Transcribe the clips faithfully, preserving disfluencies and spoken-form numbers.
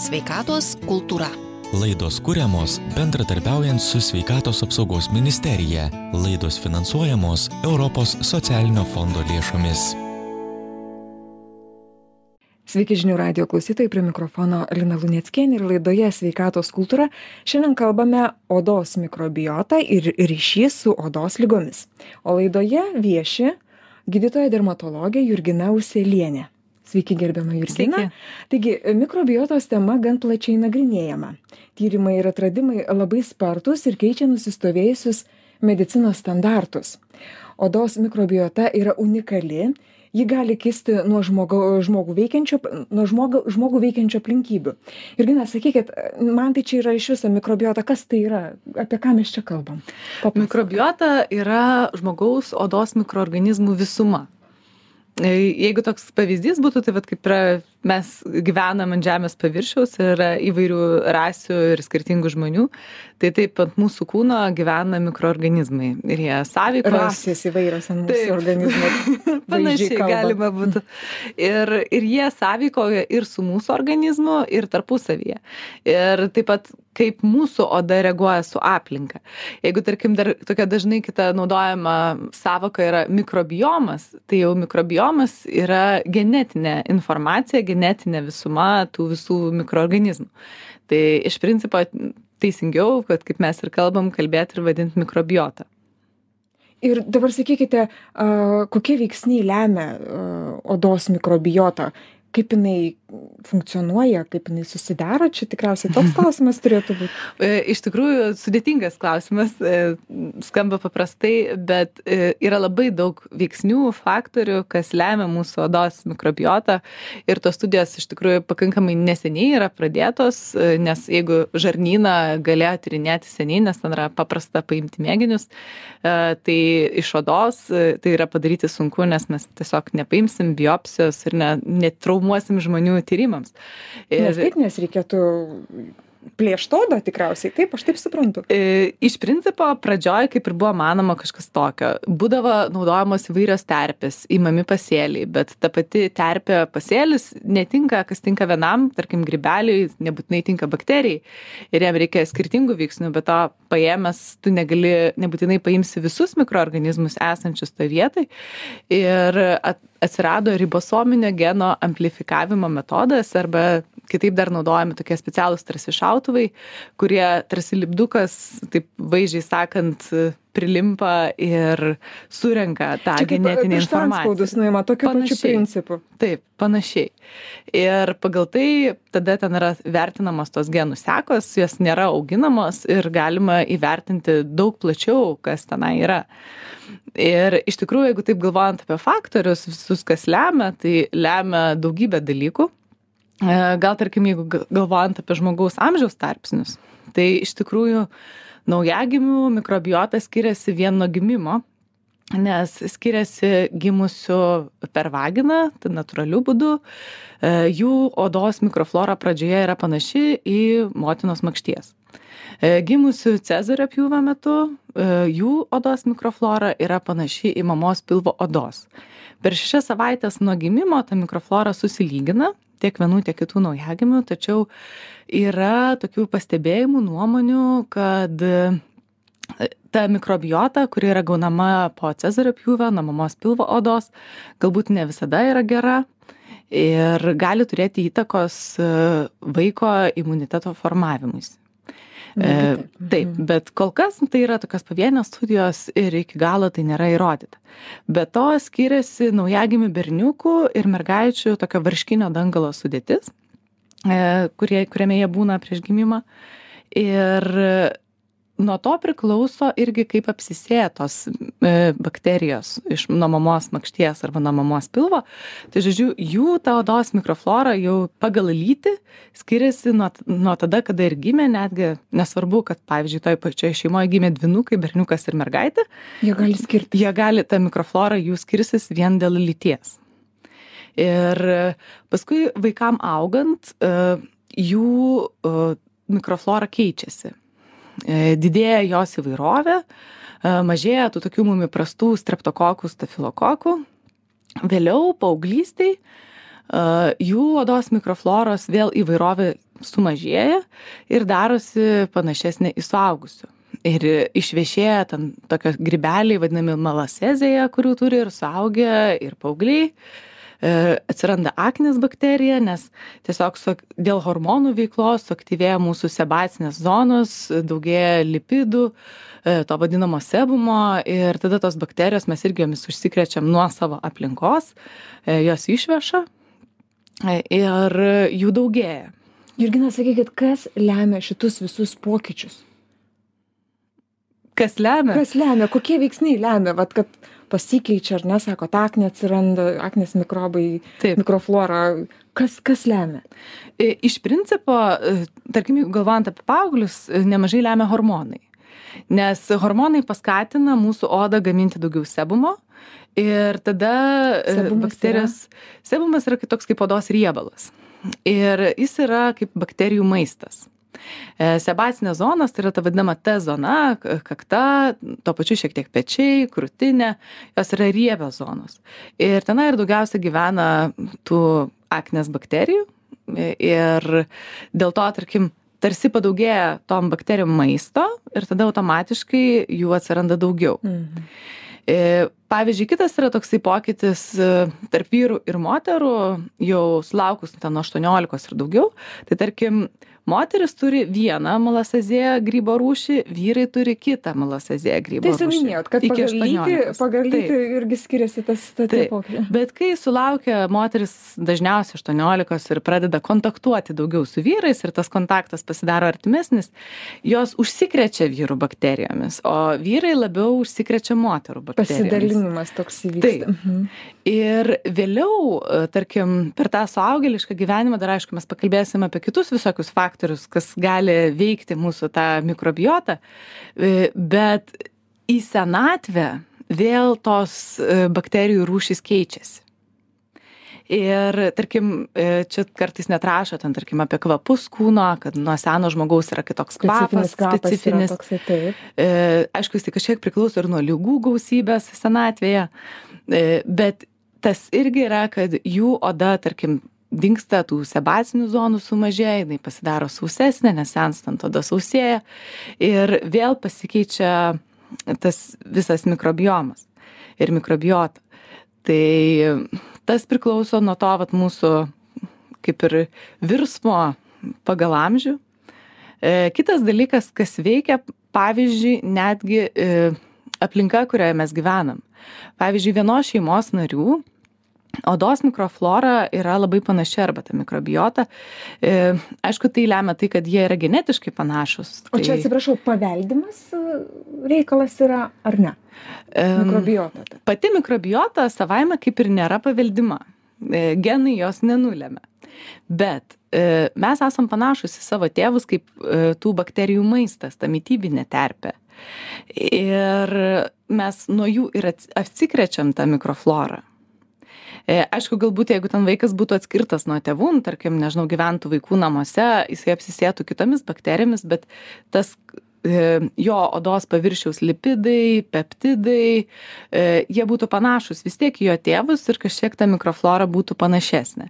Sveikatos kultūra. Laidos kuriamos bendradarbiaujant su Sveikatos apsaugos ministerija. Laidos finansuojamos Europos socialinio fondo lėšomis. Sveiki žinių radijo klausytojai, prie mikrofono Lina Luneckienė ir laidoje Sveikatos kultūra šiandien kalbame odos mikrobiotą ir ryšys su odos ligomis. O laidoje vieši gydytoja dermatologė Jurgina Uselienė. Sveiki, gerbiama Jurgina. Sveiki. Taigi, mikrobiotos tema gan plačiai nagrinėjama. Tyrimai ir atradimai labai spartus ir keičia nusistovėjusius medicinos standartus. Odos mikrobiota yra unikali, ji gali kisti nuo žmogų, žmogų, veikiančio, nuo žmogų, žmogų veikiančio aplinkybių. Jurgina, sakykit, man tai čia yra iš viso mikrobiota, kas tai yra, apie ką mes čia kalbam? Papasakok. Mikrobiota yra žmogaus odos mikroorganizmų visuma. Jeigu toks pavyzdys būtų, tai vat kaip yra, mes gyvenam ant žemės paviršiaus ir yra įvairių rasių ir skirtingų žmonių, tai taip ant mūsų kūno gyvena mikroorganizmai ir jie sąveikos. Rasės įvairios ant mūsų organizmų. Panašiai galima būtų. Ir, ir jie sąveikoja ir su mūsų organizmu, ir tarpusavyje. Ir taip pat kaip mūsų oda reaguoja su aplinka. Jeigu, tarkim, dar tokia dažnai kita naudojama sąvoka yra mikrobiomas, tai jau mikrobiomas yra genetinė informacija, genetinė visuma tų visų mikroorganizmų. Tai iš principo teisingiau, kad kaip mes ir kalbam, kalbėti ir vadinti mikrobiotą. Ir dabar sakykite, kokie veiksniai lemia odos mikrobiotą? Kaip jinai funkcionuoja, kaip jinai susidaro, čia tikriausiai toks klausimas turėtų būti. Iš tikrųjų, sudėtingas klausimas, skamba paprastai, bet yra labai daug veiksnių, faktorių, kas lemia mūsų odos mikrobiotą. Ir tos studijos iš tikrųjų pakankamai neseniai yra pradėtos, nes jeigu žarnyną galėjo tyrinėti seniai, nes ten yra paprasta paimti mėginius, tai iš odos tai yra padaryti sunku, nes mes tiesiog nepaimsim biopsijos ir ne, netraumuosim žmonių tyrimams. Ir, nes taip, nes reikėtų plėšt odą tikriausiai, taip, aš taip suprantu. Iš principo, pradžioj, kaip ir buvo manoma kažkas tokio, būdavo naudojamos įvairios terpės, įmami pasėliai, bet ta pati terpė pasėlis netinka, kas tinka vienam, tarkim, grybeliui, nebūtinai tinka bakterijai ir jam reikia skirtingų veiksnių, bet to paėmęs tu negali, nebūtinai paimsi visus mikroorganizmus esančius toje vietoj ir at, atsirado ribosominio geno amplifikavimo metodas arba kitaip dar naudojami tokie specialūs tarsi šautuvai, kurie tarsi lipdukas, taip vaizdžiai sakant, prilimpa ir surenka tą čia genetinę kaip informaciją. Spaudus nuima tokiu pačiu principu. Taip, panašiai. Ir pagal tai tada ten yra vertinamos tos genų sekos, jos nėra auginamos ir galima įvertinti daug plačiau, kas tenai yra. Ir iš tikrųjų, jeigu taip galvojant apie faktorius, visus, kas lemia, tai lemia daugybę dalykų. Gal, tarkim, jeigu galvojant apie žmogaus amžiaus tarpsnius, tai iš tikrųjų naujagimių mikrobiota skiriasi vien nuo gimimo, nes skiriasi gimusių per vaginą, tai natūraliu būdu, jų odos mikroflora pradžioje yra panaši į motinos makšties. Gimusių Cezario pjūvio metu jų odos mikroflora yra panaši į mamos pilvo odos. Per šešias savaitės nuo gimimo ta mikroflora susilygina, tiek vienų, tiek kitų naujagimių, tačiau yra tokių pastebėjimų, nuomonių, kad ta mikrobiota, kuri yra gaunama po Cezario pjūvio, nuo mamos pilvo odos, galbūt ne visada yra gera ir gali turėti įtakos vaiko imuniteto formavimuisi. E, taip, bet kol kas tai yra tokios pavienės studijos ir iki galo tai nėra įrodyta. Be to skiriasi naujagimių berniukų ir mergaičių tokio varškinio dangalo sudėtis, e, kurie, kuriame jie būna prieš gimimą. Ir nuo to priklauso irgi kaip apsisėtos e, bakterijos iš nuo mamos makšties arba nuo mamos pilvo. Tai žodžiu, jų ta odos mikroflora jau pagal lytį skiriasi nuo, nuo tada, kada ir gimė, netgi nesvarbu, kad pavyzdžiui toj pačioje šeimoje gimė dvynukai, berniukas ir mergaitė. Jie gali skirtis. Jie gali, ta mikroflora jų skirsis vien dėl lyties. Ir paskui vaikam augant, e, jų e, mikroflora keičiasi. Didėja jos įvairovė, mažėja tų tokių mum įprastų streptokokų, stafilokokų. Vėliau paauglystėj jų odos mikrofloros vėl įvairovė sumažėja ir darosi panašesnė į suaugusių. Ir išvešėja ten tokios grybeliai, vadinami malasezėje, kurių turi ir suaugę, ir paaugliai. Atsiranda aknės bakterija, nes tiesiog su, dėl hormonų veiklos suaktyvėja mūsų sebacinės zonos, daugėja lipidų, to vadinamo sebumo ir tada tos bakterijos mes irgi jomis užsikrečiam nuo savo aplinkos, jos išveša ir jų daugėja. Jurgina, sakykit, kas lemia šitus visus pokyčius? Kas lemia? Kas lemia? Kokie veiksniai lemia? Vat, kad pasikeičia, ar ne, sako, aknė atsiranda, aknės mikrobai, Taip. mikroflora. Kas, kas lemia? Iš principo, tarkim, galvojant apie paauglius, nemažai lemia hormonai. Nes hormonai paskatina mūsų odą gaminti daugiau sebumo ir tada Sebumas bakterijos... Yra? Sebumas yra toks kaip odos riebalas. Ir jis yra kaip bakterijų maistas. Sebacinės zonos, tai yra ta vadinama T zona, kakta, to pačiu šiek tiek pečiai, krūtinė, jos yra riebios zonos. Ir tenai ir daugiausia gyvena tų aknės bakterijų ir dėl to, tarkim, tarsi padaugėja tom bakterijom maisto ir tada automatiškai jų atsiranda daugiau. Mhm. Pavyzdžiui, kitas yra toksai pokytis tarp vyrų ir moterų, jau sulaukus ten aštuoniolikos ir daugiau, tai tarkim, moteris turi vieną malasezėją grybo rūšį, vyrai turi kitą malasezėją grybo rūšį. Tai minėjot, kad pagal lytį, pagal lytį irgi skiriasi tas pokytis. Bet kai sulaukia moteris dažniausiai aštuoniolikos ir pradeda kontaktuoti daugiau su vyrais ir tas kontaktas pasidaro artimesnis, jos užsikrečia vyrų bakterijomis, o vyrai labiau užsikrečia moterų bakterijomis. Pasidalinimas toks įvyksta. Mhm. Ir vėliau, tarkim, per tą suaugėlišką gyvenimą, dar aišku, mes pakalbėsime apie kitus visokius faktorius, kas gali veikti mūsų tą mikrobiotą, bet į senatvę vėl tos bakterijų rūšys keičiasi. Ir, tarkim, čia kartais net rašo, ten, tarkim, apie kvapus kūno, kad nuo seno žmogaus yra kitoks kvapas, specifinis. Toksai, taip. Aišku, jis tai kažkiek priklauso ir nuo ligų gausybės senatvėje, bet tas irgi yra, kad jų oda, tarkim, dingsta tų sebacinių zonų sumažėja, jinai pasidaro sausesnė, nes senstant oda sausėja ir vėl pasikeičia tas visas mikrobiomas ir mikrobiota. Tai tas priklauso nuo to, vat, mūsų kaip ir virsmo pagal amžių. E, kitas dalykas, kas veikia, pavyzdžiui, netgi e, aplinka, kurioje mes gyvenam. Pavyzdžiui, vienos šeimos narių odos mikroflora yra labai panaši arba ta mikrobiota. E, aišku, tai lemia tai, kad jie yra genetiškai panašus. O čia, tai... atsiprašau, paveldimas reikalas yra ar ne? Mikrobiota. E, pati mikrobiota savaime kaip ir nėra paveldima. E, genai jos nenulėmė. Bet e, mes esam panašus į savo tėvus kaip e, tų bakterijų maistas, ta mitybinė terpė. Ir mes nuo jų ir atsikrečiam tą mikroflorą. Aišku, galbūt jeigu ten vaikas būtų atskirtas nuo tėvų, tarkim, nežinau, gyventų vaikų namuose, jisai apsisėtų kitomis bakterijomis, bet tas jo odos paviršiaus lipidai, peptidai, jie būtų panašus vis tiek į jo tėvus ir kažkiek ta mikroflora būtų panašesnė.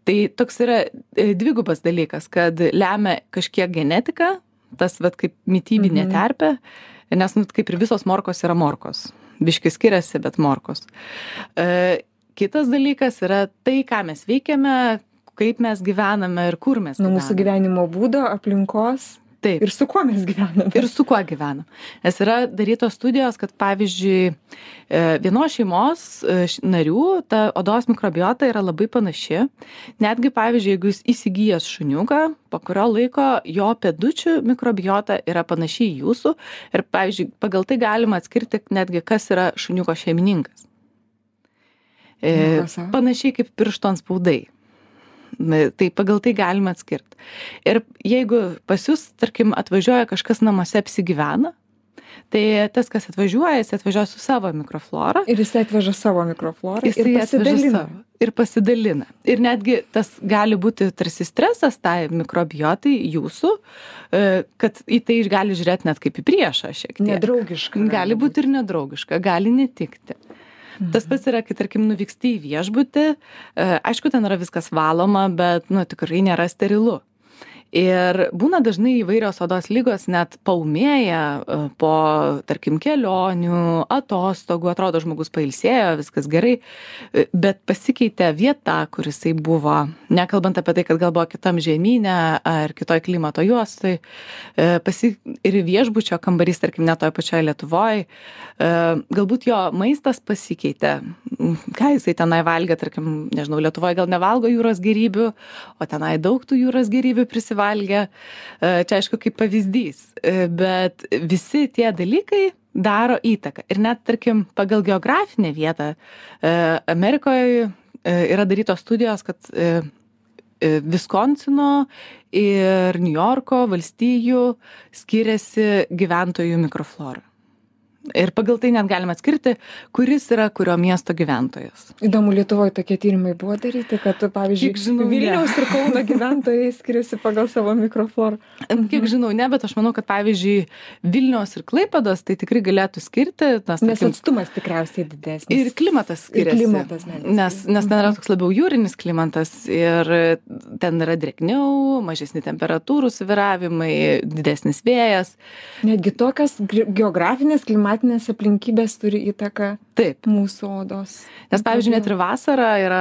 Tai toks yra dvigubas dalykas, kad lemia kažkiek genetika, tas vat kaip mitybinė mhm. terpė, nes nu, kaip ir visos morkos yra morkos. Biški skiriasi, bet morkos. E, kitas dalykas yra tai, ką mes veikiame, kaip mes gyvename ir kur mes gyvename. Nuo mūsų gyvenimo būdo, aplinkos. Taip. Ir su kuo mes gyvename. Ir su kuo gyvenam. Nes yra darytos studijos, kad pavyzdžiui, vienos šeimos narių ta odos mikrobiota yra labai panaši. Netgi, pavyzdžiui, jeigu jūs įsigijęs šuniuką, po kurio laiko jo pėdučių mikrobiota yra panaši į jūsų. Ir, pavyzdžiui, pagal tai galima atskirti netgi, kas yra šuniuko šeimininkas. E, panašiai kaip piršto antspaudai. Tai pagal tai galima atskirti. Ir jeigu pas jūs, tarkim, atvažiuoja kažkas namuose apsigyvena, tai tas, kas atvažiuoja, jis atvažiuoja su savo mikroflora. Ir jis atveža savo mikroflorą ir pasidalina. Ir pasidalina. Ir netgi tas gali būti tarsi stresas tai mikrobiotai jūsų, kad į tai gali žiūrėti net kaip į priešą šiek tiek. Nedraugiška. Gali būti ir nedraugiška, gali netikti. Mhm. Tas pats yra, kai, tarkim, nuvyksti į viešbutį, aišku, ten yra viskas valoma, bet, nu, tikrai nėra sterilu. Ir būna dažnai įvairios odos lygos net paūmėja po, tarkim, kelionių, atostogų, atrodo žmogus pailsėjo, viskas gerai, bet pasikeitė vieta, kur jisai buvo, nekalbant apie tai, kad gal buvo kitam žemyne ar kitoj klimato juostoj, pasi... ir viešbučio kambarys, tarkim, net toje pačioje Lietuvoje, galbūt jo maistas pasikeitė, ką jisai tenai valgė, tarkim, nežinau, Lietuvoje gal nevalgo jūros gėrybių, o tenai daug tų jūros gėrybių prisivalgė. Valgė, čia aišku kaip pavyzdys, bet visi tie dalykai daro įtaką. Ir net, tarkim, pagal geografinę vietą Amerikoje yra darytos studijos, kad Viskonsino ir Niujorko valstijų skiriasi gyventojų mikroflora. Ir pagal tai net galima atskirti, kuris yra kurio miesto gyventojas. Įdomu, Lietuvoje tokie tyrimai buvo daryti, kad, pavyzdžiui, žinau, Vilniaus ne. Ir Kauno gyventojai skiriasi pagal savo mikroflorą. Kiek žinau, ne, bet aš manau, kad, pavyzdžiui, Vilniaus ir Klaipėdos tai tikrai galėtų skirti. Nes, nes tarkim, atstumas tikriausiai didesnis. Ir klimatas skiriasi. Ir klimatas netgi. Nes, nes ten yra toks labiau jūrinis klimatas ir ten yra drėgniau, mažesni temperatūrų svyravimai, didesnis vėjas. Netgi tokios geografinės klimatinės klimatinės aplinkybės turi įtaką Taip. Mūsų odos. Nes, pavyzdžiui, net ir vasarą yra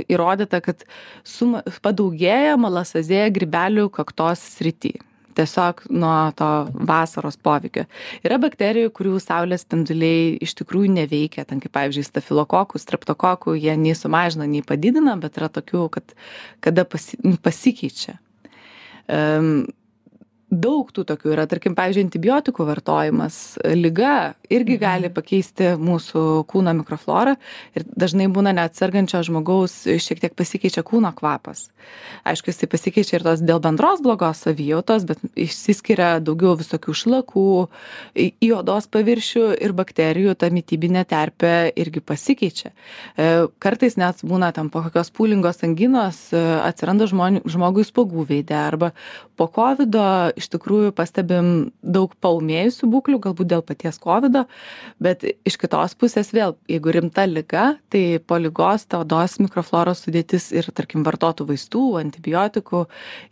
įrodyta, kad suma, padaugėja malasazėja grybelių kaktos srity. Tiesiog nuo to vasaros poveikio. Yra bakterijų, kurių saulės spinduliai iš tikrųjų neveikia. Ten kaip, pavyzdžiui, stafilokokų, streptokokų, jie nei sumažina, nei padidina, bet yra tokių, kad kada pasi, pasikeičia. Um, Daug tų tokių yra, tarkim, pavyzdžiui, antibiotikų vartojimas, liga irgi gali pakeisti mūsų kūno mikroflorą ir dažnai būna net sergančio žmogaus šiek tiek pasikeičia kūno kvapas. Aišku, jisai pasikeičia ir tos dėl bendros blogos savijautos, bet išsiskiria daugiau visokių šlakų, į odos paviršių ir bakterijų ta mitybinė terpė irgi pasikeičia. Kartais net būna tam po kokios pūlingos anginos atsiranda žmonių, žmogui spuogų veide arba po kovido iš tikrųjų pastebim daug paūmėjusių būklių, galbūt dėl paties kovido, bet iš kitos pusės vėl, jeigu rimta liga, tai po ligos ta odos mikrofloros sudėtis ir, tarkim, vartotų vaistų, antibiotikų,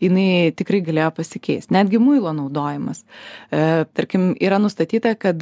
jinai tikrai galėjo pasikeisti. Netgi muilo naudojimas. E, tarkim, yra nustatyta, kad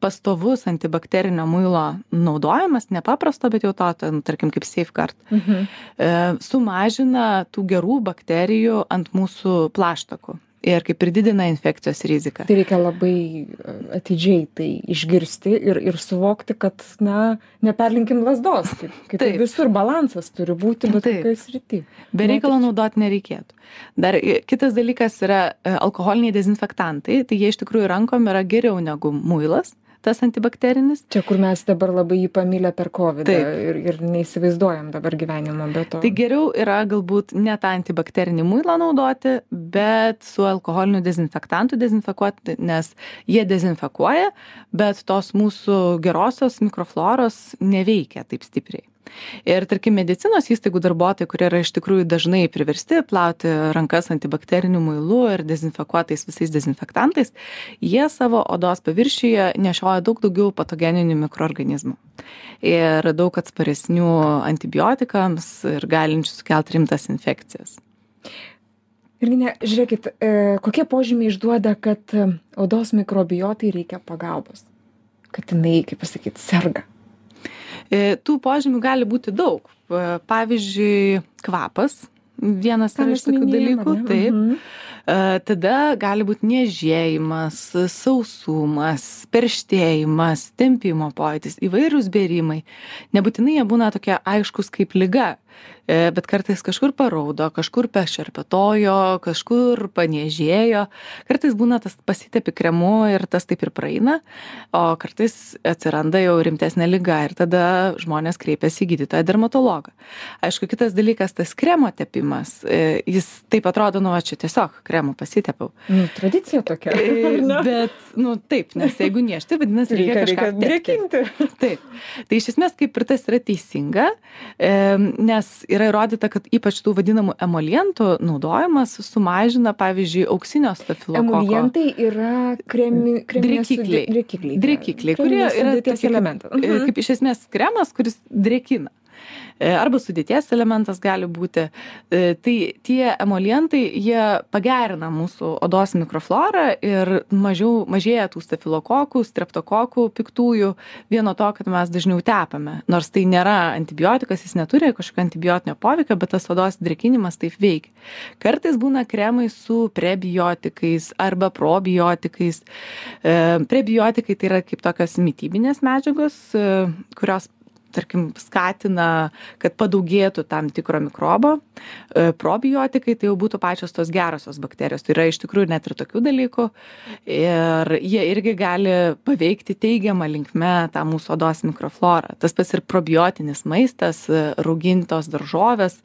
pastovus antibakterinio muilo naudojimas, nepaprasto, bet jau to, tarkim, kaip safeguard, mhm. e, sumažina tų gerų bakterijų ant mūsų plaštakų. Ir kaip ir didina infekcijos riziką. Tai reikia labai atidžiai tai išgirsti ir, ir suvokti, kad, na, neperlinkim lazdos. Kaip, kaip visur balansas turi būti, bet kokioj srity. Be reikalo naudoti nereikėtų. Dar kitas dalykas yra alkoholiniai dezinfektantai. Tai jie iš tikrųjų rankom yra geriau negu muilas. Tas antibakterinis. Čia, kur mes dabar labai jį pamilę per kovidą ir, ir neįsivaizduojam dabar gyvenimo be to. Tai geriau yra galbūt ne tą antibakterinį muilą naudoti, bet su alkoholiniu dezinfektantu dezinfekuoti, nes jie dezinfekuoja, bet tos mūsų gerosios mikrofloros neveikia taip stipriai. Ir, tarkim, medicinos įstaigų darbuotojai, kurie yra iš tikrųjų dažnai priversti plauti rankas antibakteriniu muilu ir dezinfekuotais visais dezinfektantais, jie savo odos paviršiuje nešioja daug daugiau patogeninių mikroorganizmų. Ir daug atsparesnių antibiotikams ir galinčių sukelti rimtas infekcijas. Virginija, žiūrėkit, kokie požymiai išduoda, kad odos mikrobiotai reikia pagalbos? Kad jinai, kaip pasakyti, serga? Tų požymių gali būti daug. Pavyzdžiui, kvapas, vienas yra iš tokių dalykų, taip. Mhm. Tada gali būti niežėjimas, sausumas, perštėjimas, tempimo pojūtis, įvairūs bėrimai. Nebūtinai jie būna tokie aiškus kaip liga, bet kartais kažkur paraudo, kažkur pešerpetojo, kažkur paniežėjo. Kartais būna tas pasitepi kremu ir tas taip ir praeina, o kartais atsiranda jau rimtesnė liga ir tada žmonės kreipiasi į gydytoją dermatologą. Aišku, kitas dalykas, tas kremo tepimas, jis taip atrodo, nu, va, čia tiesiog kremu pasitepiau. Nu, tradicija tokia. Bet, nu, taip, nes jeigu niežti, vadinasi, reikia, reikia kažką drėkinti. Taip. Tai iš esmės kaip ir tas yra teisinga, nes nes yra įrodyta, kad ypač tų vadinamų emolientų naudojimas sumažina, pavyzdžiui, auksinio stafilokoko. Emolientai yra kremi, kreminės drėkikliai, drėkikliai, drėkikliai kurie yra tokie elementai. Mhm. Kaip iš esmės kremas, kuris drėkina. Arba sudėties elementas gali būti. Tai tie emolientai, jie pagerina mūsų odos mikroflorą ir mažiau, mažėja tų stafilokokų, streptokokų piktųjų vieno to, kad mes dažniau tepame. Nors tai nėra antibiotikas, jis neturi kažkokio antibiotinio poveikio, bet tas odos drėkinimas taip veikia. Kartais būna kremai su prebiotikais arba probiotikais. Prebiotikai tai yra kaip tokios mitybinės medžiagos, kurios tarkim, skatina, kad padaugėtų tam tikro mikrobo. Probiotikai tai jau būtų pačios tos gerosios bakterijos. Tai yra iš tikrųjų net ir tokių dalykų. Ir jie irgi gali paveikti teigiamą linkme tą mūsų odos mikroflorą. Tas pats ir probiotinis maistas, raugintos daržovės,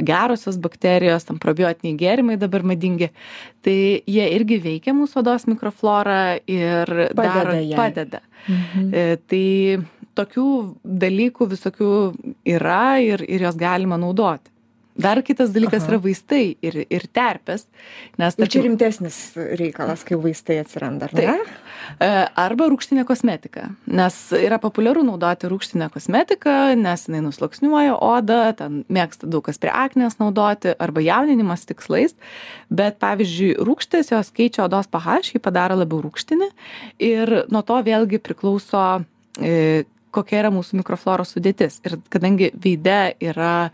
gerosios bakterijos, tam probiotiniai gėrimai dabar madingi. Tai jie irgi veikia mūsų odos mikroflorą ir padeda daro, jai. padeda. Mhm. Tai tokių dalykų visokių yra ir, ir jos galima naudoti. Dar kitas dalykas Aha. yra vaistai ir, ir terpės. Nes, ir čia rimtesnis reikalas, kai vaistai atsiranda, ar ne? Taip. Arba rūgštinė kosmetika. Nes yra populiaru naudoti rūgštinę kosmetiką, nes jinai nusluoksniuoja odą, ten mėgsta daug kas prie aknės naudoti, arba jauninimas tikslais. Bet pavyzdžiui, rūgštės jos keičia odos pH, jį padaro labiau rūgštinį. Ir nuo to vėlgi priklauso e, kokia yra mūsų mikrofloros sudėtis. Ir kadangi veide yra e,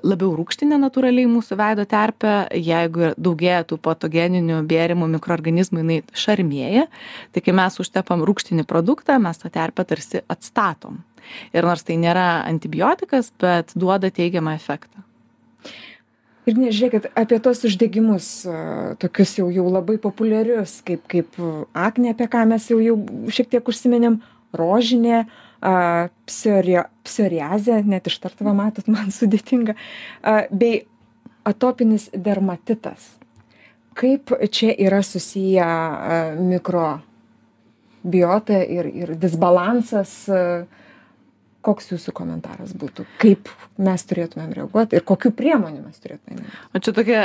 labiau rūgštinė natūraliai mūsų veido terpė, jeigu daugėja tų patogeninių bėrimų mikroorganizmų, jinai šarmėja, tai kai mes užtepam rūgštinį produktą, mes tą terpę tarsi atstatom. Ir nors tai nėra antibiotikas, bet duoda teigiamą efektą. Ir nežiūrėkit, apie tos uždegimus, tokius jau, jau labai populiarius, kaip, kaip aknė, apie ką mes jau, jau šiek tiek užsiminėm, rožinė, Uh, psoria, psoriazė, net ištartava matot, man sudėtinga, uh, bei atopinis dermatitas. Kaip čia yra susiję uh, mikrobiota ir, ir disbalansas? Uh, koks jūsų komentaras būtų? Kaip mes turėtumėm reaguoti ir kokių priemonių mes turėtumėm? O čia tokie,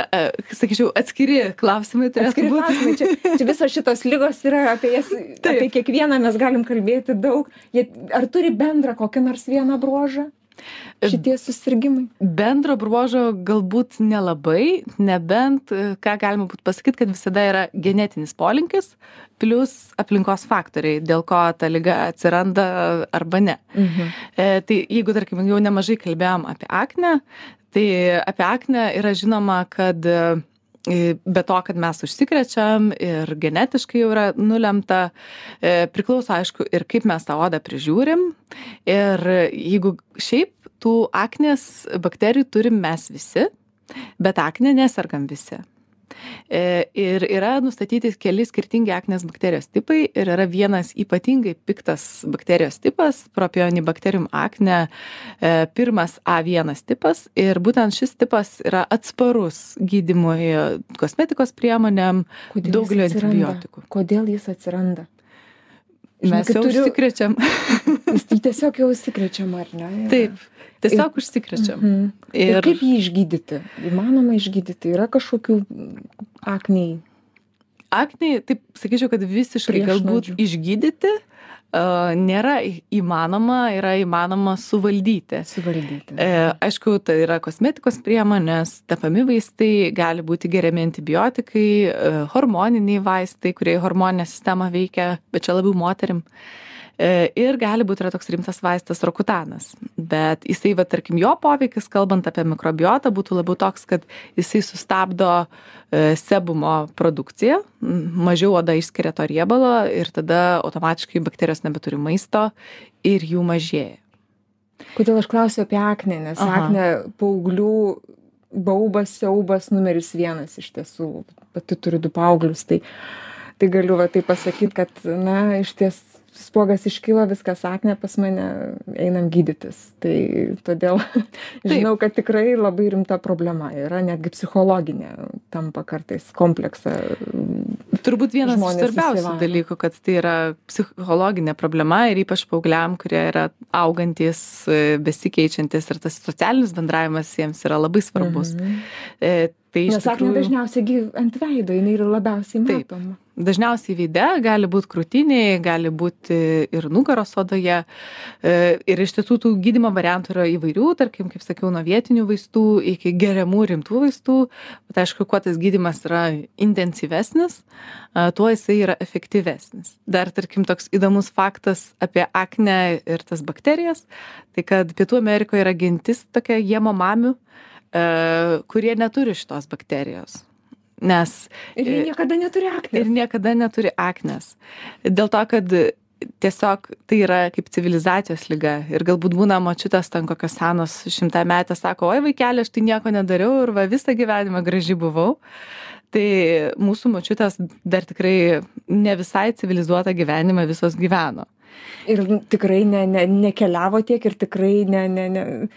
sakyčiau, atskiri klausimai turėtų atskiri būti. Klausimai. Čia, čia visos šitos ligos yra, apie jas, Taip. apie kiekvieną mes galim kalbėti daug. Jie, ar turi bendrą kokį nors vieną bruožą? Šitie susirgymai? Bendro bruožo galbūt nelabai, nebent, ką galima būtų pasakyti, kad visada yra genetinis polinkis plus aplinkos faktoriai, dėl ko ta liga atsiranda arba ne. Mhm. E, tai jeigu, tarkim, jau nemažai kalbėjom apie aknę, tai apie aknę yra žinoma, kad be to, kad mes užsikrečiam ir genetiškai jau yra nulemta, priklauso aišku ir kaip mes tą odą prižiūrim. Ir jeigu šiaip tų aknės bakterijų turim mes visi, bet aknė nesergam visi. Ir yra nustatyti keli skirtingi aknės bakterijos tipai ir yra vienas ypatingai piktas bakterijos tipas, Propionibacterium acne, pirmas A vienas tipas, ir būtent šis tipas yra atsparus gydymui kosmetikos priemonėm, daugelio antibiotikų. Kodėl jis atsiranda? Mes jau turiu... užsikrečiam. Jis tiesiog jau užsikrečiam, ar ne? Taip, tiesiog ir... užsikrečiam. Mhm. Ir... ir kaip jį išgydyti? Įmanoma išgydyti? Yra kažkokių akniai? Akniai, taip sakyčiau, kad visiškai galbūt išgydyti uh, nėra įmanoma, yra įmanoma suvaldyti. Suvaldyti. E, aišku, tai yra kosmetikos priemonės, tepami vaistai, gali būti geriami antibiotikai, e, hormoniniai vaistai, kurie hormoninę sistemą veikia, bet čia labiau moterim. Ir gali būti yra toks rimtas vaistas Rokutanas. Bet jisai, va, tarkim, jo poveikis, kalbant apie mikrobiotą, būtų labiau toks, kad jisai sustabdo sebumo produkciją, mažiau oda išskiria to riebalo ir tada automatiškai bakterijos nebeturi maisto ir jų mažėja. Kodėl aš klausiu apie aknę, nes Aha. aknė paauglių baubas, siaubas numeris vienas iš tiesų. Pati turiu du paauglius, tai, tai galiu va, tai pasakyti, kad, na, iš ties spuogas iškilo, viskas aknė pas mane, einam gydytis. Tai todėl žinau, kad tikrai labai rimta problema yra, netgi psichologinė tampa kartais kompleksą turbūt vienas iš žmonės svarbiausių įsivaro. dalykų, kad tai yra psichologinė problema ir ypač paaugliam, kurie yra augantis, e, besikeičiantis ir tas socialinis bendravimas jiems yra labai svarbus. Mhm. E, tai iš Nes aknė tikrųjų- dažniausiai gi ant veido, jinai yra labiausiai Taip. matoma. Dažniausiai veide, gali būti krūtinėje, gali būti ir nugaros odoje. E, Ir iš tiesų tų gydymo variantų yra įvairių, tarkim, kaip sakiau, nuo vietinių vaistų iki geriamų rimtų vaistų. Bet aišku, kuo tas gydymas yra intensyvesnis, e, tuo jisai yra efektyvesnis. Dar, tarkim, toks įdomus faktas apie aknę ir tas bakterijas, tai kad Pietų Amerikoje yra gentis tokia jemomamių, e, kurie neturi šitos bakterijos. Nes Ir jie niekada neturi aknės. ir niekada neturi aknės. Dėl to, kad tiesiog tai yra kaip civilizacijos liga. Ir galbūt būna močiutės ten kokios senos šimtametės, sako, oi vaikeli, aš tai nieko nedariau ir va visą gyvenimą graži buvau. Tai mūsų močiutės dar tikrai ne visai civilizuotą gyvenimą visos gyveno. Ir tikrai ne, ne, nekeliavo tiek ir tikrai ne, ne, ne.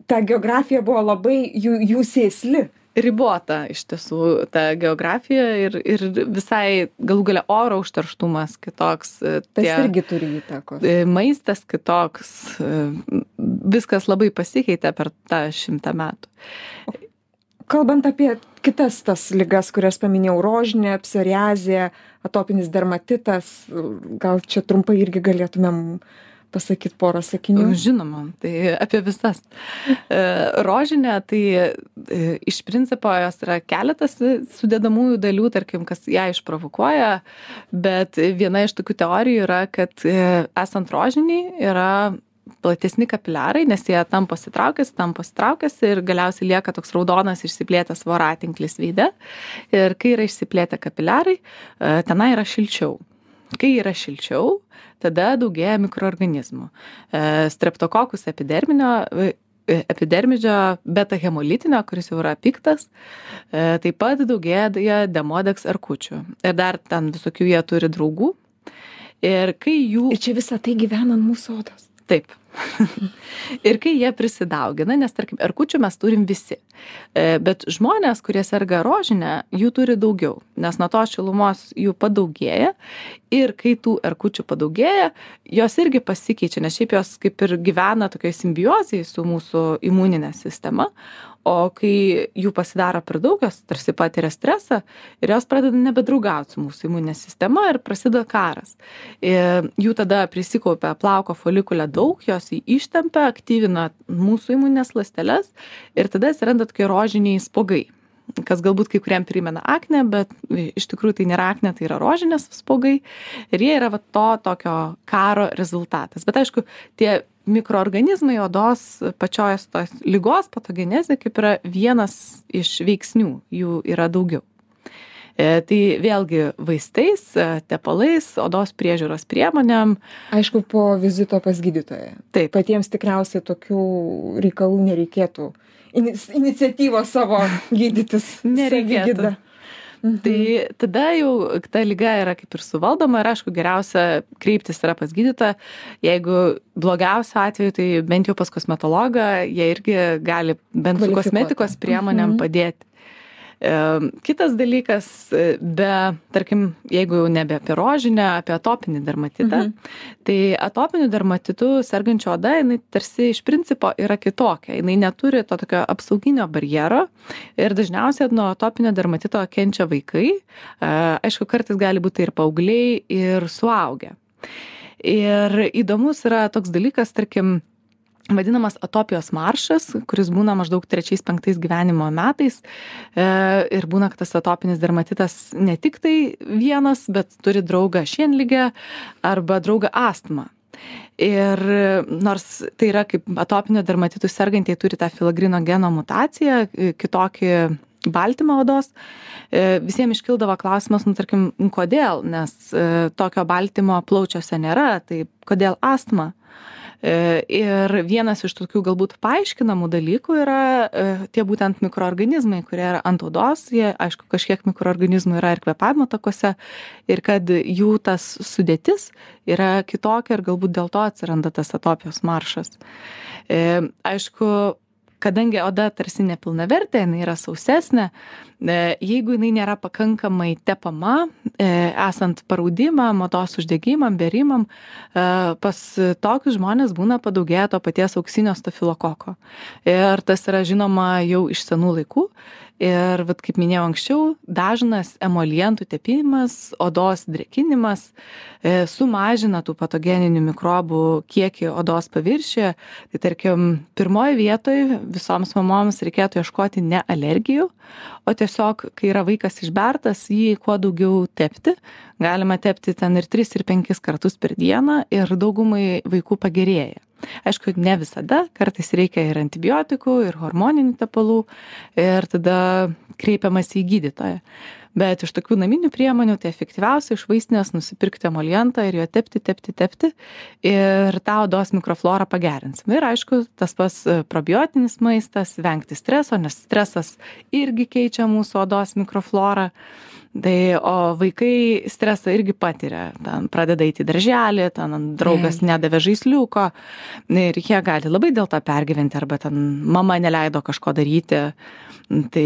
Ta geografija buvo labai jų, jų sėsli. Ribota iš tiesų ta geografija ir, ir visai galų galia oro užterštumas kitoks. Tas irgi turi įtakos. Maistas kitoks. Viskas labai pasikeitė per tą šimtą metų. Kalbant apie kitas tas ligas, kurias paminėjau, rožinė, psoriazė, atopinis dermatitas, gal čia trumpai irgi galėtumėm pasakyti porą sakinių. Žinoma, tai apie visas. Rožinė, tai iš principo jos yra keletas sudedamųjų dalių, tarkim, kas ją išprovokuoja, bet viena iš tokių teorijų yra, kad esant rožiniai yra platesni kapiliarai, nes jie tam pasitraukęs, tam pasitraukęs ir galiausiai lieka toks raudonas išsiplėtęs voratinklis veide. Ir kai yra išsiplėtę kapiliarai, tenai yra šilčiau. Kai yra šilčiau, tada daugėja mikroorganizmų. Streptokokus epiderminio, epidermidžio beta hemolitinio, kuris jau yra piktas, taip pat daugėja demodex erkučių. Ir dar ten visokių jie turi draugų. Ir kai jų... Ir čia visą tai gyvena ant mūsų odos. Taip. Ir kai jie prisidaugina, nes tarkim, erkučių mes turim visi. Bet žmonės, kurie serga rožinę, jų turi daugiau, nes nuo to šilumos jų padaugėja. Ir kai tų erkučių padaugėja, jos irgi pasikeičia, nes šiaip jos kaip ir gyvena tokioj simbiozėje su mūsų imuninė sistema. O kai jų pasidaro per daug, jos tarsi patiria stresą ir jos pradeda nebedraugauti su mūsų imuninė sistema ir prasideda karas. Ir jų tada prisikaupia plauko folikulė daug, jos jį ištempia, aktyvina mūsų imuninės ląsteles ir tada atsiranda tokie rožiniai spuogai, kas galbūt kai kuriem primena aknę, bet iš tikrųjų tai nėra aknė, tai yra rožinės spuogai ir jie yra va to tokio karo rezultatas. Bet aišku, tie mikroorganizmai odos pačios tos ligos patogenezė kaip yra vienas iš veiksnių, jų yra daugiau. E, tai vėlgi vaistais, tepalais, odos priežiūros priemonėm. Aišku, po vizito pas gydytoją. Taip. Patiems tikriausiai tokių reikalų nereikėtų. Iniciatyvos savo gydytis. Nereikėtų. Mhm. Tai tada jau ta liga yra kaip ir suvaldoma ir aišku geriausia kreiptis yra pas gydytoją. Jeigu blogiausio atveju, tai bent jau pas kosmetologą, jie irgi gali bent su kosmetikos priemonėm padėti. Kitas dalykas, be, tarkim, jeigu jau nebe apie rožinę, apie atopinį dermatitą, mhm. tai atopiniu dermatitu sergančio oda, jinai tarsi iš principo yra kitokia. Jinai neturi to tokio apsauginio barjero ir dažniausiai nuo atopinio dermatito kenčia vaikai. Aišku, kartais gali būti ir paaugliai, ir suaugę. Ir įdomus yra toks dalykas, tarkim, vadinamas atopijos maršas, kuris būna maždaug trečiais, penktais gyvenimo metais. E, ir būna, kad tas atopinis dermatitas ne tik tai vienas, bet turi draugą šienligę arba draugą astmą. Ir nors tai yra kaip atopinio dermatitų sergantieji turi tą filagrino geno mutaciją, kitokį baltymą odos, visiems iškildavo klausimas, nu tarkim, kodėl, nes tokio baltymo plaučiuose nėra, tai kodėl astma? Ir vienas iš tokių galbūt paaiškinamų dalykų yra tie būtent mikroorganizmai, kurie yra ant odos, jie, aišku, kažkiek mikroorganizmų yra ir kvėpavimo takuose, ir kad jų tas sudėtis yra kitokia ir galbūt dėl to atsiranda tas atopijos maršas. Aišku, kadangi oda tarsi nepilnavertė, jinai yra sausesnė, jeigu jinai nėra pakankamai tepama, esant paraudimam, odos uždegimam, berimam, pas tokius žmonės būna padaugėję to paties auksinio stafilokoko. Ir tas yra žinoma jau iš senų laikų. Ir, vat, kaip minėjau anksčiau, dažnas emolientų tepimas, odos drėkinimas e, sumažina tų patogeninių mikrobų kiekį odos paviršiuje. Tai tarkim, pirmoje vietoje visoms mamoms reikėtų ieškoti ne alergijų, o tiesiog, kai yra vaikas išbertas, jį kuo daugiau tepti. Galima tepti ten ir tris, ir penkis kartus per dieną ir daugumai vaikų pagerėja. Aišku, ne visada, kartais reikia ir antibiotikų, ir hormoninių tepalų, ir tada kreipiamas į gydytoją. Bet iš tokių naminių priemonių tai efektyviausia iš vaistinės nusipirkti emolientą ir jo tepti, tepti, tepti ir tą odos mikroflorą pagerinsim. Ir aišku, tas pas probiotinis maistas, vengti streso, nes stresas irgi keičia mūsų odos mikroflorą. Tai, o vaikai stresą irgi patiria, ten pradeda eiti į darželį, ten draugas nedavė žaisliuko ir jie gali labai dėl to pergyventi, arba ten mama neleido kažko daryti. Tai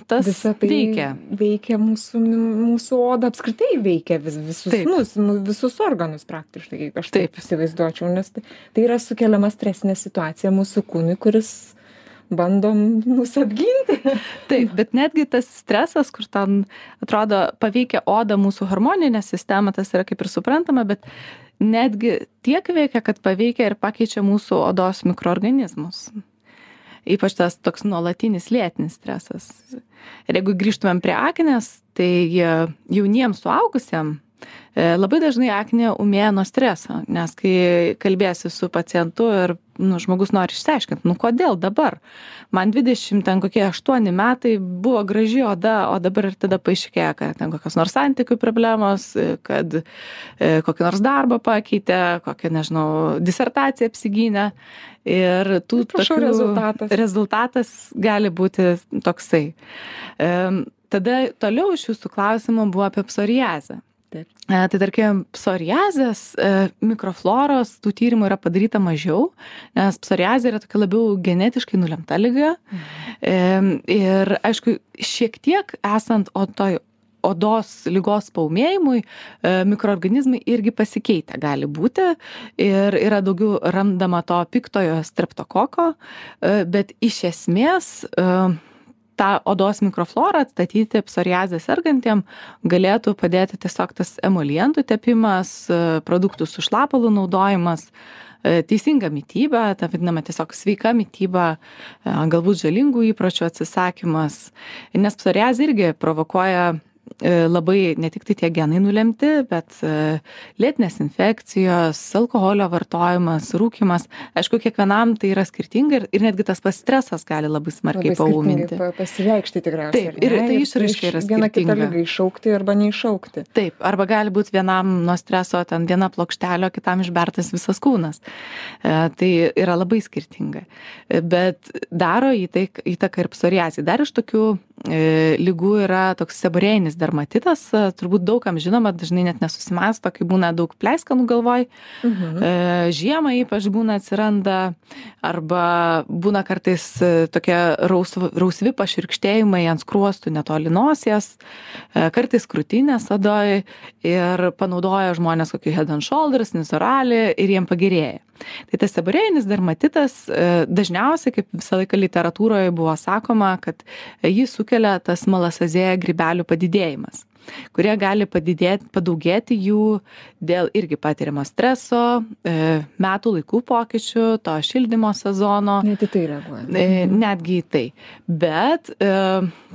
tas Visa tai veikia. Veikia mūsų, mūsų odą, apskritai veikia vis, visus, nus, visus organus praktiškai, aš taip, taip įsivaizduočiau, nes tai, tai yra sukeliama stresinė situacija mūsų kūnui, kuris bandom mus apginti. Taip, bet netgi tas stresas, kur ten atrodo paveikia odą, mūsų hormoninę sistemą, tas yra kaip ir suprantama, bet netgi tiek veikia, kad paveikia ir pakeičia mūsų odos mikroorganizmus. Ypač tas toks nuolatinis lėtinis stresas. Ir jeigu grįžtumėm prie aknės, tai jauniems suaugusiem labai dažnai aknė ūmėja nuo streso, nes kai kalbėsi su pacientu ir nu, žmogus nori išsiaiškinti, nu kodėl dabar? Man dvidešimt, ten kokie aštuoni metai buvo graži oda, o dabar ir tada paaiškėja, kad ten kokios nors santykių problemos, kad e, kokį nors darbą pakeitė, kokią, nežinau, disertaciją apsigynė. Ir tų Prašau, tokių rezultatas. rezultatas gali būti toksai. E, tada toliau iš jūsų klausimų buvo apie psoriazę. Taip. E, tai tarkim, psoriazės e, mikrofloros tų tyrimų yra padaryta mažiau, nes psoriazė yra tokia labiau genetiškai nulemta liga. E, ir aišku, šiek tiek esant o toj odos ligos paūmėjimui, e, mikroorganizmai irgi pasikeitę gali būti ir yra daugiau randama to piktojo streptokoko, e, bet iš esmės e, tą odos mikroflorą atstatyti psoriazę sergantiem galėtų padėti tiesiog tas emolientų tepimas, produktų su šlapalų naudojimas, teisinga mityba, ta vadinama tiesiog sveika mityba, galbūt žalingų įpročių atsisakymas, nes psoriazė irgi provokuoja labai ne tik tai tie genai nulemti, bet lėtinės infekcijos, alkoholio vartojimas, rūkymas. Aišku, kiekvienam tai yra skirtinga ir, ir netgi tas pats stresas gali labai smarkiai labai paūminti. Pa, pasireikšti tikriausiai. Taip, ir tai išraiška yra skirtinga. Viena kitą lygą iššaukti arba neiššaukti. Taip, arba gali būti vienam nuo streso ten viena plokštelio, kitam išbertas visas kūnas. E, tai yra labai skirtinga. Bet daro įtaką ir psoriazei. Dar iš tokių e, lygų yra toks seborėjinis dermatitas, turbūt daugam žinoma, dažnai net nesusimąsto, kai būna daug pleiskanų galvoj. Mhm. E, žiemą ypač būna atsiranda, arba būna kartais tokie rausv, rausvi paširkštėjimai ant skruostų netoli nosies, e, kartais krūtinės odoj ir panaudoja žmonės kokį Head and Shoulders, Nizoral ir jiem pagerėja. Tai tas seborėjinis dermatitas e, dažniausiai, kaip visą laiką literatūroje buvo sakoma, kad jį sukelia tas malasazėja grybelių padidėjimas, kurie gali padidėti, padaugėti jų dėl irgi patiriamo streso, e, metų laikų pokyčių, to šildymo sezono. Net į tai reaguoja. E, netgi į tai. Bet, e,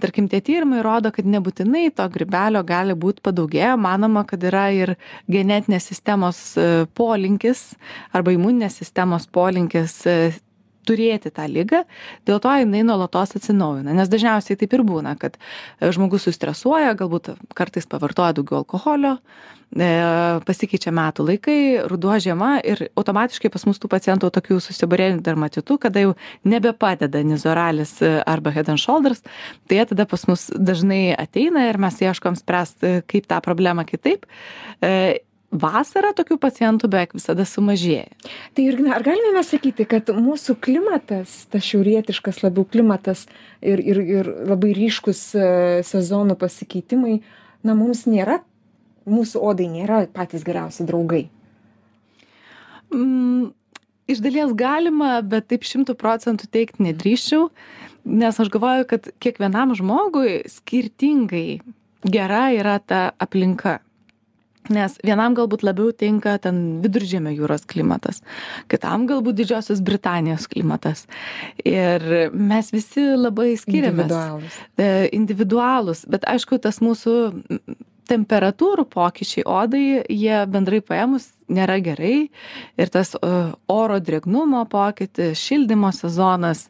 tarkim, tie tyrimai rodo, kad nebūtinai to grybelio gali būti padaugėję. Manoma, kad yra ir genetinės sistemos e, polinkis arba imuninės sistemos polinkis e, turėti tą ligą, dėl to jinai nuolatos atsinaujina. Nes dažniausiai taip ir būna, kad žmogus sustresuoja, galbūt kartais pavartoja daugiau alkoholio, pasikeičia metų laikai, ruduo, žiema ir automatiškai pas mus tų pacientų tokių susiborėjimų dermatitų, kada jau nebepadeda Nizoralis arba Head and Shoulders, tai jie tada pas mus dažnai ateina ir mes ieškom spręsti, kaip tą problemą kitaip. vasarą tokių pacientų beveik visada sumažėja. Tai Jurgina, ar galime mes sakyti, kad mūsų klimatas, tas šiaurietiškas labiau klimatas ir, ir, ir labai ryškus sezonų pasikeitimai, na, mums nėra, mūsų odai nėra patys geriausi draugai? Mm, iš dalies galima, bet taip šimtų procentų teikti nedrįščiau, nes aš galvoju, kad kiekvienam žmogui skirtingai gera yra ta aplinka. Nes vienam galbūt labiau tinka ten Viduržemio jūros klimatas, kitam galbūt Didžiosios Britanijos klimatas. Ir mes visi labai skiriamės. Individualūs. Individualūs, bet aišku, tas mūsų temperatūrų pokyčiai odai, jie bendrai paėmus nėra gerai. Ir tas oro drėgnumo pokytis, šildymo sezonas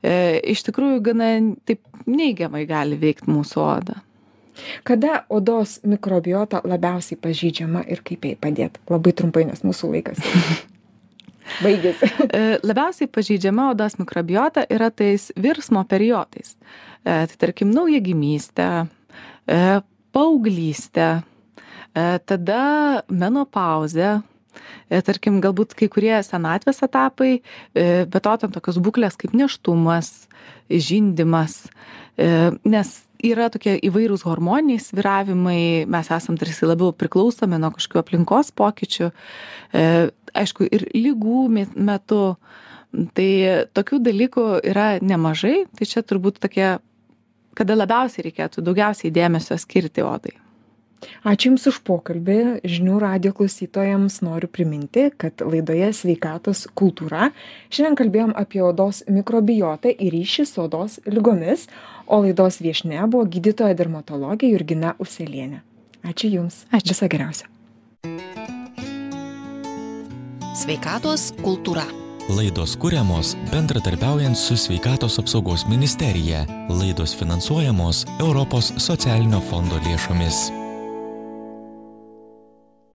iš tikrųjų gana taip neigiamai gali veikti mūsų odą. Kada odos mikrobiota labiausiai pažydžiama ir kaip jai padėti? Labai trumpai, nes mūsų laikas baigėsi. Labiausiai pažydžiama odos mikrobiota yra tais virsmo periodais. Tai tarkim, naujagimystė, paauglystė, tada menopauzė, tarkim, galbūt kai kurie senatvės etapai, bet to tam tokios būklės kaip nėštumas, žindymas, nes yra tokie įvairūs hormoniniai svyravimai, mes esam tarsi labiau priklausomi nuo kažkokių aplinkos pokyčių, aišku, ir ligų metu, tai tokių dalykų yra nemažai, tai čia turbūt tokie, kada labiausiai reikėtų daugiausiai dėmesio skirti odai. Ačiū Jums už pokalbį. Žinių radijo klausytojams noriu priminti, kad laidoje Sveikatos kultūra šiandien kalbėjom apie odos mikrobiotą ir ryšį su odos ligomis, o laidos viešnia buvo gydytoja dermatologė Jurgina Uselienė. Ačiū Jums. Ačiū. Viso geriausio. Sveikatos kultūra. Laidos kuriamos bendradarbiaujant su Sveikatos apsaugos ministerija. Laidos finansuojamos Europos socialinio fondo lėšomis.